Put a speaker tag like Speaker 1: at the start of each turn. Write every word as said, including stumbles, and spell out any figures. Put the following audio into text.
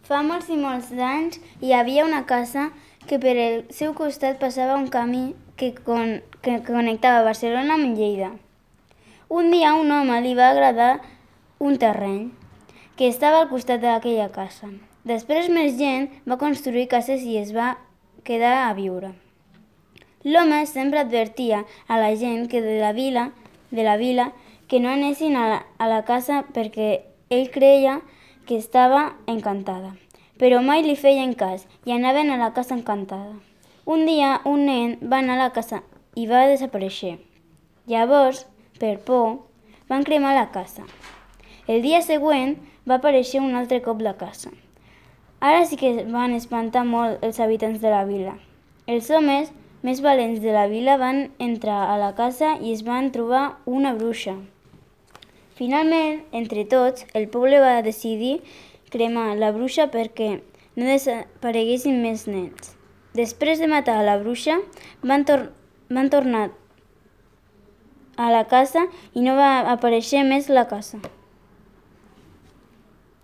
Speaker 1: Fa molts i molts d'anys hi havia una casa que per el seu costat passava un camí que, con que connectava Barcelona amb Lleida. Un dia a un home li va agradar un terreny que estava al costat d'aquella casa. Després més gent va construir cases i es va quedar a viure. L'home sempre advertia a la gent que de la vila, de la vila que no anessin a la, a la casa perquè ell creia que estava encantada. Però mai li feien cas i anaven a la casa encantada. Un dia un nen va anar a la casa i va desaparèixer. Llavors, per por, van cremar la casa. El dia següent va aparèixer un altre cop la casa. Ara sí que van espantar molt els habitants de la vila. Els homes més valents de la vila van entrar a la casa i es van trobar una bruixa. Finalment, entre tots, el poble va decidir cremar la bruixa perquè no desapareguessin més nens. Després de matar a la bruixa, van, tor van tornar a la casa i no va aparèixer més la casa.